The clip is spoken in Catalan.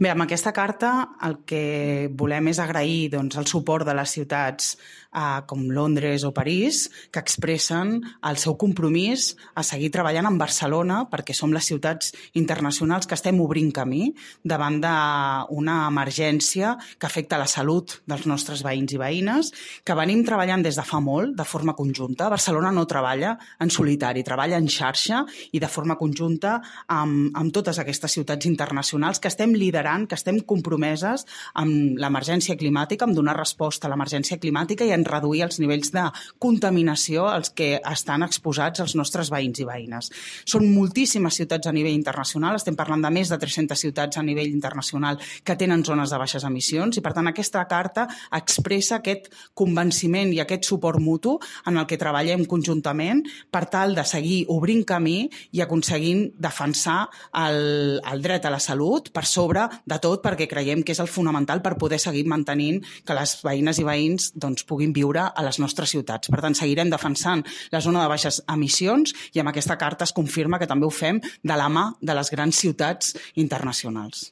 Bé, amb aquesta carta el que volem és agrair el suport de les ciutats com Londres o París, que expressen el seu compromís a seguir treballant amb Barcelona perquè som les ciutats internacionals que estem obrint camí davant d'una emergència que afecta la salut dels nostres veïns i veïnes, que venim treballant des de fa molt, de forma conjunta. Barcelona no treballa en solitari, treballa en xarxa i de forma conjunta amb totes aquestes ciutats internacionals que estem liderant, que estem compromeses amb l'emergència climàtica, amb donar resposta a l'emergència climàtica i en reduir els nivells de contaminació als que estan exposats els nostres veïns i veïnes. Són moltíssimes ciutats a nivell internacional, estem parlant de més de 300 ciutats a nivell internacional que tenen zones de baixes emissions i, per tant, aquesta carta expressa aquest convenciment i aquest suport mutu en el que treballem conjuntament per tal de seguir obrint camí i aconseguint defensar el dret a la salut per sobre de tot, perquè creiem que és el fonamental per poder seguir mantenint que les veïnes i veïns puguin viure a les nostres ciutats. Per tant, seguirem defensant la zona de baixes emissions i amb aquesta carta es confirma que també ho fem de la mà de les grans ciutats internacionals.